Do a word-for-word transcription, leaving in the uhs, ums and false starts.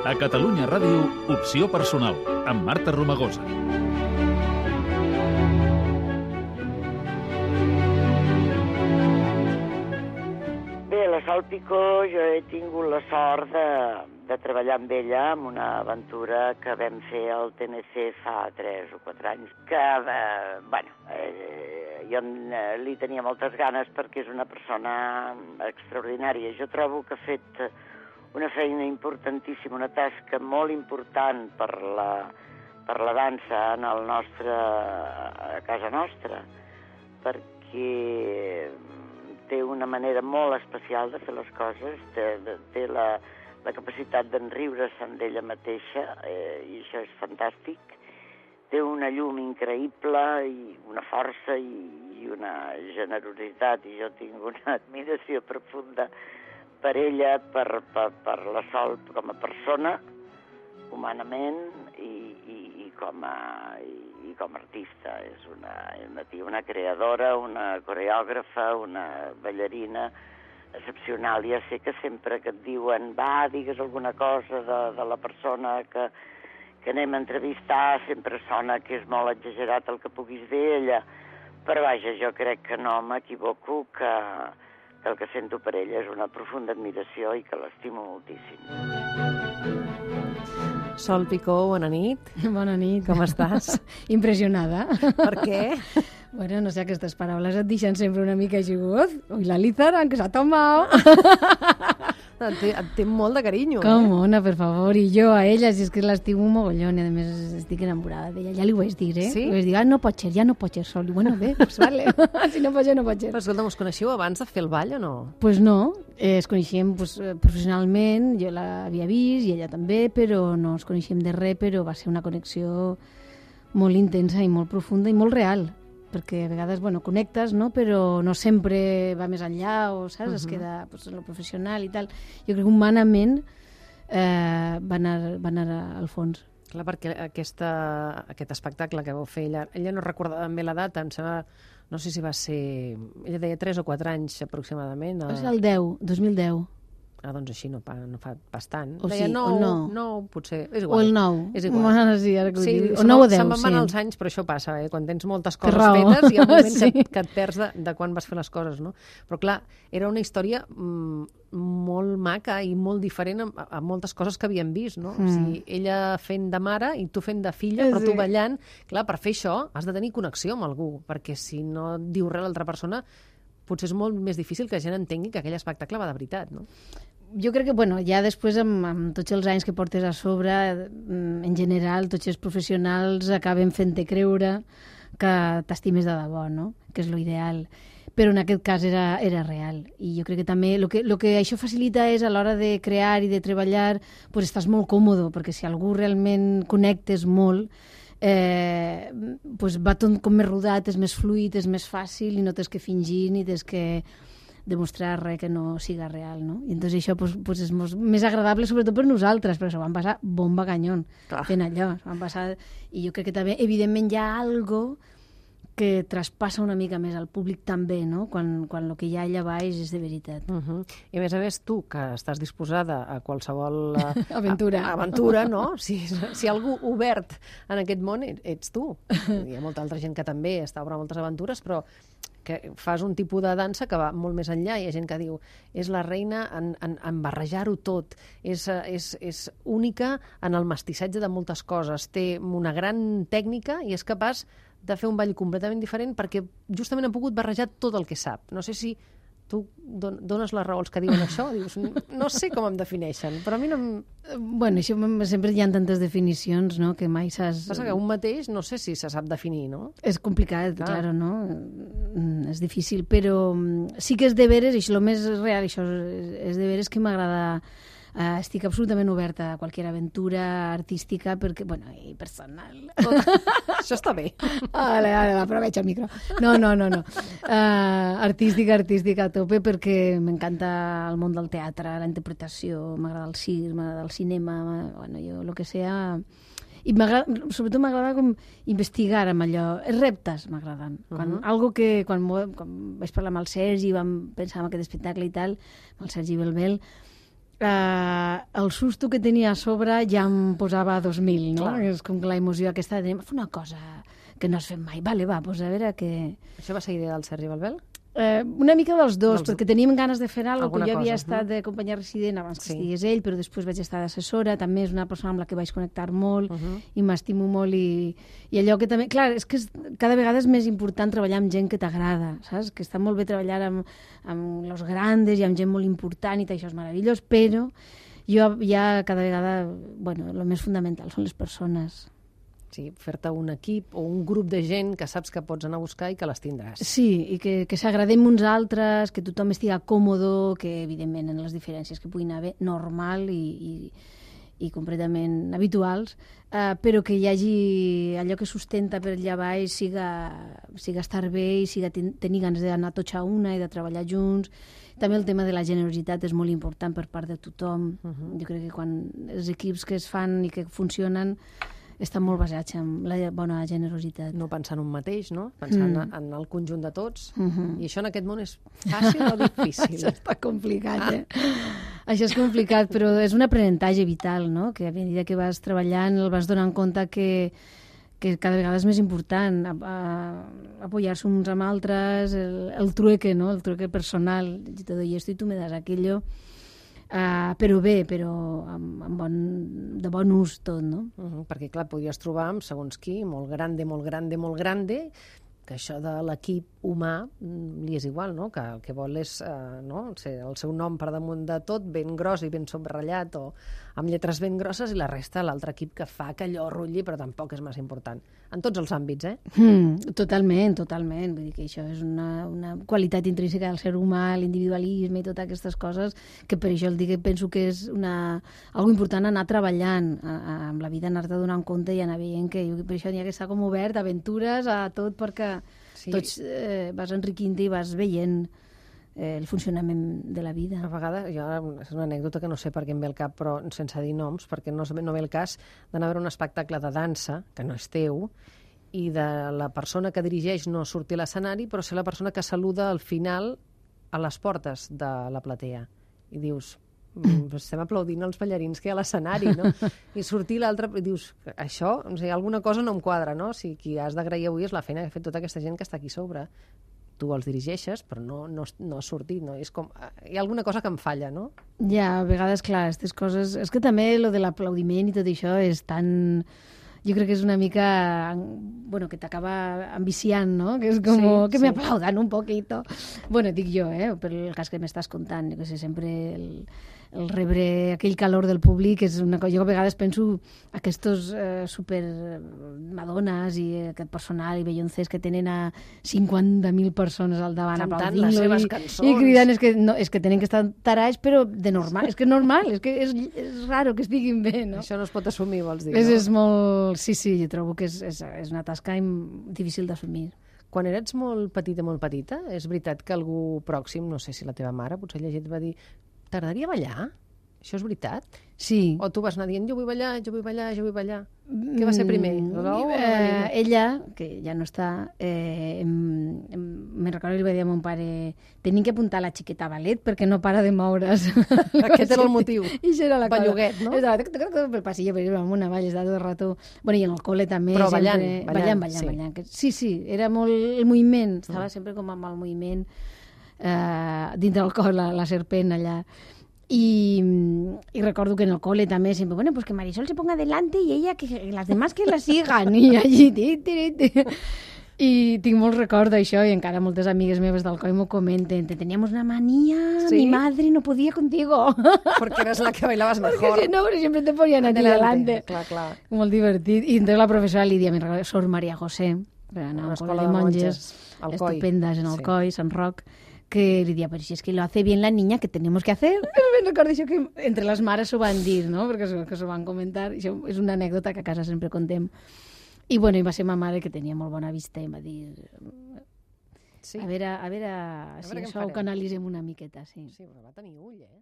A Catalunya Ràdio, Opció Personal, amb Marta Romagosa. Bé, la Sol Picó, jo he tingut la sort de, de treballar amb ella en una aventura que vam fer al T N C fa tres o quatre anys, que, eh, bueno, eh, jo eh, li tenia moltes ganes perquè és una persona extraordinària. Jo trobo que ha fet una feina importantíssima, una tasca molt important per la, per la dansa en el nostre, a casa nostra, perquè té una manera molt especial de fer les coses, té, té la, la capacitat d'enriure-se'n d'ella mateixa, eh, i això és fantàstic. Té una llum increïble, i una força i, i una generositat, i jo tinc una admiració profunda per ella, per, per, per la Sol com a persona, humanament, i, i, i, com, a, i, i com a artista. És una, una, una creadora, una coreògrafa, una ballarina excepcional. Ja sé que sempre que et diuen va, digues alguna cosa de, de la persona que, que anem a entrevistar, sempre sona que és molt exagerat el que puguis dir ella, però vaja, jo crec que no m'equivoco, que el que sento per ella és una profunda admiració i que l'estimo moltíssim. Sol Picó, bona nit. Bona nit. Com estàs? Impressionada. Per què? Bueno, no sé, aquestes paraules et deixen sempre una mica xugot. Ui, la Lizaran, que s'ha tomado. Et té, et té molt de carinyo. Com, eh? Ona, per favor. I jo a ella, si és que l'estimo un mogollon, i a més estic enamorada d'ella. Ja li ho vaig dir, eh? Sí? Li vaig dir, ah, no pot ser, ja no pot ser, Sol. I bueno, bé, pues vale. Si no pot ser, no pot ser. Però escolta'm, us coneixeu abans de fer el ball o no? Pues no, eh, es coneixíem pues, professionalment, jo l'havia vist i ella també, però no ens coneixíem de res, però va ser una connexió molt intensa i molt profunda i molt real, perquè a vegades, bueno, connectes, no? Però no sempre va més enllà, o saps? Uh-huh. Es queda pues, en lo professional i tal. Jo crec que humanament eh, va, anar, va anar al fons. Clar, perquè aquesta, aquest espectacle que vau fer, ella, ella no recordava ben bé la data, em sembla, no sé si va ser... Ella deia tres o quatre anys aproximadament. A... És el deu, dos mil deu. Ah, doncs així no, no fa bastant. O deia sí, nou, o no. nou, potser, és igual. O el nou. És igual. Bueno, sí, ara que ho sí, dic. O se'm, nou o deu, se'm van sí. els anys, però això passa, eh? Quan tens moltes coses raó. fetes, hi ha un moment Sí. que, que et perds de, de quan vas fer les coses, no? Però clar, era una història mm, molt maca i molt diferent a, a moltes coses que havíem vist, no? Mm. O sigui, ella fent de mare i tu fent de filla, però Sí. tu ballant. Clar, per fer això has de tenir connexió amb algú, perquè si no et diu res l'altra persona, potser és molt més difícil que la gent entengui que aquell espectacle va de veritat, no? Jo crec que, bueno, ja després, amb, amb tots els anys que portes a sobre, en general, tots els professionals acaben fent-te creure que t'estimes de debò, no? Que és l'ideal. Però en aquest cas era, era real. I jo crec que també el que, lo que això facilita és a l'hora de crear i de treballar, pues estàs molt còmode, perquè si algú realment connectes molt, eh, pues va tot com més rodat, és més fluid, és més fàcil i no tens que fingir ni tens que demostrar res que no siga real, no? I entonces això pues, pues és molt, més agradable, sobretot per nosaltres, però s'ho van passar bomba canyón fent allò. Van passar... I jo crec que també, evidentment, hi ha algo que traspassa una mica més al públic també, no? Quan, quan el que hi ha allà baix és de veritat. Uh -huh. I a més a més, tu, que estàs disposada a qualsevol... A, aventura. A, aventura, no? Si, si algú obert en aquest món, ets tu. Hi ha molta altra gent que també està obre moltes aventures, però que fas un tipus de dansa que va molt més enllà. Hi ha gent que diu, és la reina en, en, en barrejar-ho tot, és, és, és única en el mestissatge de moltes coses, té una gran tècnica i és capaç de fer un ball completament diferent perquè justament han pogut barrejar tot el que sap. No sé si tu dones la raó als que diuen això, dius, no sé com em defineixen, però a mi no em... Bueno, això sempre hi ha tantes definicions, no?, que mai saps... Passa que un mateix no sé si se sap definir, no? És complicat, clar, claro, no? És difícil, però sí que és de veres, i això, el més real, això és de veres que m'agrada... Uh, estic absolutament oberta a qualsevol aventura artística perquè, bueno, i personal. Això està bé. Vale, vale, aprovecho el micro. No, no, no, no. Uh, artística, artística a tope perquè m'encanta el món del teatre, la interpretació, m'agrada el circ, m'agrada el cinema, bueno, jo, el que sea... I sobretot m'agrada com investigar amb allò. Els reptes m'agraden. Quan, uh -huh. Algo que quan, quan vaig parlar amb el Sergi, vam pensar en aquest espectacle i tal, amb el Sergi Belbel, Uh, el susto que tenia a sobre ja em posava a dos mil, no? Clar. És com que la emoció aquesta de fer una cosa que no has fet mai. Vale, va, doncs a veure què... Això va ser idea del Sergi Balbel? Eh, una mica dels dos, Dels- perquè teníem ganes de fer alguna cosa, Alguna que jo havia cosa, estat mhm. de companyia resident abans que Sí. estigués ell, però després vaig estar d'assessora, també és una persona amb la que vaig connectar molt Mhm. i m'estimo molt i, i allò que també... Clar, és que és, cada vegada és més important treballar amb gent que t'agrada, saps? Que està molt bé treballar amb, amb los grandes i amb gent molt important i tot això és meravellós, però jo ja cada vegada... Bueno, el més fundamental són les persones. Sí, fer-te un equip o un grup de gent que saps que pots anar a buscar i que les tindràs. Sí, i que, que s'agradem uns altres, que tothom estigui còmodo, que evidentment en les diferències que puguin haver, normal i, i, i completament habituals, eh, però que hi hagi allò que sustenta per allà baix siga, siga estar bé i siga ten, tenir ganes d'anar tots a una i de treballar junts. També el tema de la generositat és molt important per part de tothom. Uh-huh. Jo crec que quan els equips que es fan i que funcionen estan molt basats en la bona generositat. No pensar en un mateix, no? Pensar Mm. en, en el conjunt de tots. Mhm. I això en aquest món és fàcil o difícil? Això està complicat, eh? Això és complicat, però és un aprenentatge vital, no? Que a mesura que vas treballant el vas donant compte que, que cada vegada és més important a, a, apoyar-se uns amb altres, el, el trueque, no? El trueque personal. Yo te doy esto y tú me das aquello. Uh, però bé, però amb, amb bon, de bon ús tot, no? Uh -huh, perquè, clar, podries trobar amb segons qui, molt grande, molt grande, molt grande, que això de l'equip humà mm, li és igual, no? Que el que vol és eh, no? Ser el seu nom per damunt de tot, ben gros i ben subratllat o amb lletres ben grosses, i la resta l'altre equip que fa que allò rutlli, però tampoc és massa important. En tots els àmbits, eh? Mm, totalment, totalment. Vull dir que això és una, una qualitat intrínseca del ser humà, l'individualisme i totes aquestes coses, que per això el dic que penso que és una, algo important anar treballant a, a, amb la vida, anar-te donant compte i anar veient que jo, per això n'hi ha que estar com obert, aventures, a tot, perquè Sí. tots eh, vas enriquint i vas veient eh, el funcionament de la vida. A vegades, jo, és una anècdota que no sé per què em ve al cap, però sense dir noms, perquè no, no ve el cas d'anar a veure un espectacle de dansa, que no és teu, i de la persona que dirigeix no sortir a l'escenari, però ser la persona que saluda al final a les portes de la platea. I dius, mm, estem aplaudint els ballarins que hi ha a l'escenari, no? I sortir l'altre, i dius, això, o sigui, alguna cosa no em quadra, no? O sigui, qui has d'agrair avui és la feina que ha fet tota aquesta gent que està aquí a sobre. Tu els dirigeixes, però no, no, no has sortit, no? És com, hi ha alguna cosa que em falla, no? Ja, a vegades, clar, aquestes coses... És que també lo de l'aplaudiment i tot això és tan... Jo crec que és una mica... Bueno, que t'acaba ambiciant, no? Que és com Sí, que sí. me aplaudan un poquito. Bueno, dic jo, eh? Per el cas que m'estàs contant. Jo que sé, sempre el, el rebre aquell calor del públic és una cosa... Jo a vegades penso aquestos eh, super madones i aquest personal i belloncers que tenen a cinquanta mil persones al davant Cantant aplaudint-lo les seves i, cançons. i cridant. És que, no, és que tenen que estar tarats, però de normal. És que és normal, és que és, és raro que estiguin bé, no? Això no es pot assumir, vols dir, És, no? és molt... Sí, sí, jo trobo que és, és, és una tasca im- difícil d'assumir. Quan eres molt petita, molt petita, és veritat que algú pròxim, no sé si la teva mare, potser llegit, va dir t'agradaria ballar? Això és veritat? Sí. O tu vas anar dient jo vull ballar, jo vull ballar, jo vull ballar? Què va ser primer? Mm, L'ou o la eh, gallina? ella, que ja no està, eh, em, em, me'n recordo que li va dir a mon pare tenim que apuntar la xiqueta a ballet perquè no para de moure's. Aquest era el motiu. I això era la cosa. Belluguet, no? Estava toc, toc, toc, pel passillo, per exemple, amunt avall, estava tot el rato... Bueno, i en el col·le també. Però ballant, sempre, ballant, ballant, ballant, sí. ballant. Que- Sí, sí, era molt el moviment, estava sempre com amb el moviment eh, dintre del cor, la, la serpent allà. Y, y recuerdo que en el cole también siempre, bueno, pues que Marisol se ponga delante y ella, que las demás que la sigan. I allí, ti, ti, ti. I tinc molt record d'això i encara moltes amigues meves del coll m'ho comenten. Te teníamos una manía, ¿Sí? mi madre no podía contigo. Porque eres la que bailabas Porque mejor. si no, pero siempre te ponían a ti delante. Clar, clar. Molt divertit. I entonces la professora Lídia, me'n recordo, Sor Maria José, que era Una una escola escola de de monges, monges al Coi. estupendas en el Sí. Coi, Sant Roc, que li dia, però si és que lo hace bien la niña, que tenemos que hacer? Me'n recordo això que entre les mares s'ho van dir, no? Perquè s'ho, que s'ho van comentar. Això és una anècdota que a casa sempre contem. I, bueno, i va ser ma mare, que tenia molt bona vista, i em va dir... Sí, A veure, a veure, veure si què en això ho farem. canalitzem una miqueta, sí. sí, però va tenir ull, eh?